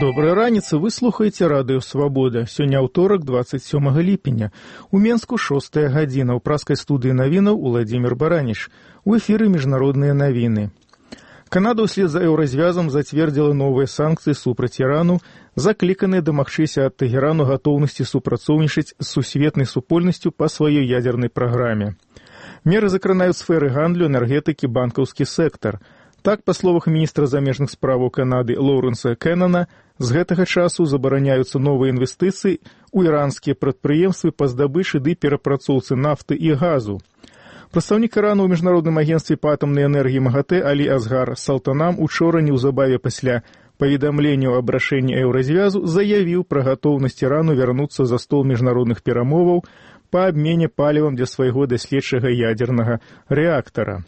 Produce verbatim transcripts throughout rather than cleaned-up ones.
Добрай раніцы, вы слухаеце радыё «Свабода». Сёння аўторак, дваццаць сёмага ліпеня. У Менску шостая гадзіна. У праскай студыі навінаў Уладзімір Бараніч. У эфіры міжнародныя навіны. Канада ўслед за еўразвязам зацвердзіла новыя санкцыі супраць Ірану, закліканыя дамагчыся ад Тэгерану гатоўнасці супрацоўнічаць з сусветнай супольнасцю па сваёй ядзернай праграме. Меры закранаюць сферы гандлю, энергетыкі, банкаўскі сектар. Так, па словах міністра замежных справаў Канады Лоўрэнса Кеннана, з гэтага часу забараняюцца новыя інвестыцыі ў іранскія прадпрыемствы па здабычы ды перапрацоўцы нафты і газу. Прадстаўнік Ірану ў міжнародным агенцтве па атамнай энергіі МАГАТЭ Алі Асгар Салтанам учора неўзабаве пасля паведамлення аб рашэнні еўразвязу заявіў пра гатоўнасць Ірану вярнуцца за стол міжнародных перамоваў па абмене палівам для свайго даследчага ядзернага рэактара.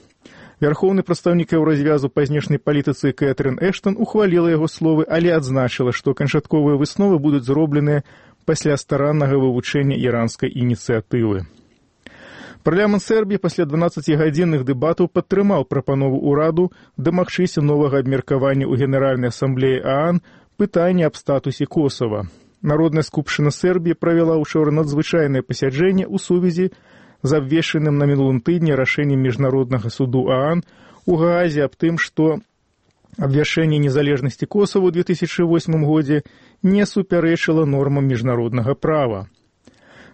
Вярхоўны прадстаўнік еўразвязу па знешняй палітыцы Кэтрын Эштон ухваліла яго словы, але адзначыла, што канчатковыя высновы будуць зробленыя пасля стараннага вывучэння іранскай ініцыятывы. Парламент Сербіі пасля дванаццацігадзінных дэбатаў падтрымаў прапанову ўраду дамагчыся новага абмеркавання ў Генеральнай асамблеі ААН пытання аб статусе Косава. Народная скупшчына Сербіі правяла ўчора надзвычайнае пасяджэнне ў сувязі з абвешчаным на мінулым тыдні рашэннем міжнароднага суду ААН у Гаазе аб тым, што абвяшчэнне незалежнасці Косава ў две тысячы восьмым годзе не супярэчыла нормам міжнароднага права.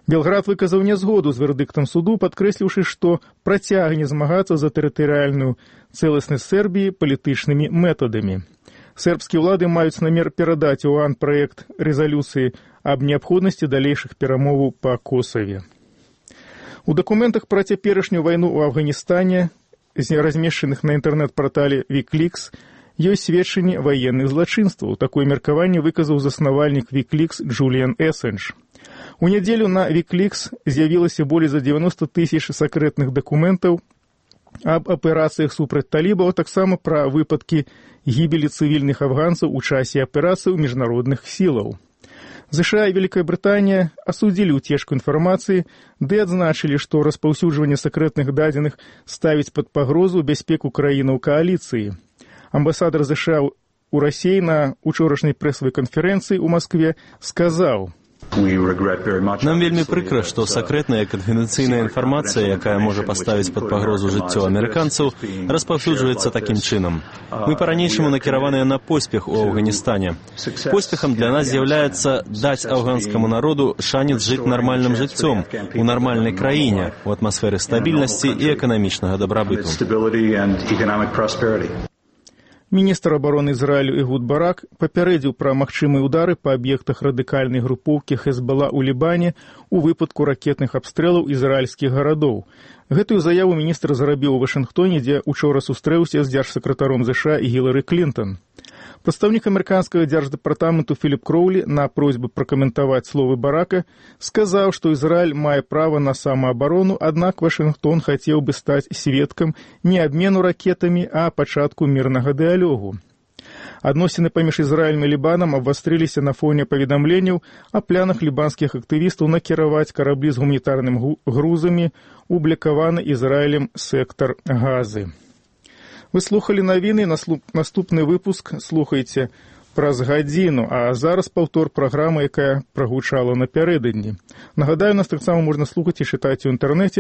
Белград выказаў нязгоду з вердыктам суду, падкрэсліўшы, што працягне змагацца за тэрытарыяльную цэласнасць Сербіі палітычнымі метадамі. Сербскія ўлады маюць намер перадаць у ААН праект рэзалюцыі аб неабходнасці далейшых перамоваў па Косаве. У дакументах пра цяперашнюю вайну ў Афганістане, размешчаных на інтэрнэт-партале Wikileaks, ёсць сведчанні ваенных злачынстваў. Такое меркаванне выказаў заснавальнік Wikileaks Джуліан Эссендж. У нядзелю на Wikileaks з'явілася болей за дзевяноста тысяч сакрэтных дакументаў аб аперацыях супраць талібаў, а таксама пра выпадкі гібелі цывільных афганцаў у часе аперацый міжнародных сілаў. ЗША і Великая Брытанія асудзілі ўцечку інфармацыі, ды адзначылі, што распаўсюджванне сакрэтных дадзеных ставіць пад пагрозу бяспеку краінаў кааліцыі. Амбасадар ЗША ў Расіі на учорашняй прэсавай канферэнцыі ў Маскве сказаў: Нам вельмі прыкра, што сакрэтная і канфідэнцыйная інфармацыя, якая можа паставіць пад пагрозу жыццё амерыканцаў, распаўсюджваецца такім чынам. Мы па-ранейшаму накіраваныя на поспех у Афганістане. Поспехам для нас з'яўляецца даць афганскаму народу шанец жыць нармальным жыццём у нармальнай краіне, у атмасферы стабільнасці і эканамічнага дабрабыту. Міністр абароны Ізраілю Эгуд Барак папярэдзіў пра магчымыя ўдары па аб'ектах радыкальнай групоўкі Хезбала ў Лібане у выпадку ракетных абстрэлаў ізраільскіх гарадоў. Гэтую заяву міністр зрабіў у Вашынгтоне, дзе учора сустрэўся з дзяржсакратаром ЗША і Гілары Клінтон. Прадстаўнік амерыканскага дзярждэпартаменту Філіп Кроулі на просьбу пракаментаваць словы Барака сказаў, што Ізраіль мае права на самаабарону, аднак Вашынгтон хацеў бы стаць сведкам не абмену ракетамі, а пачатку мірнага дыялогу. Адносіны паміж Ізраілем і Лібанам абвастрыліся на фоне паведамленняў о планах лібанскіх актывістаў накіраваць караблі з гуманітарнымі грузамі ў блакаваны Ізраілем сектар Газы. Вы слухалі навіны, наступны выпуск слухайце праз гадзіну, а зараз паўтор праграмы, якая прагучала напярэдадні. Нагадаю, нас таксама можна слухаць і чытаць у інтэрнэце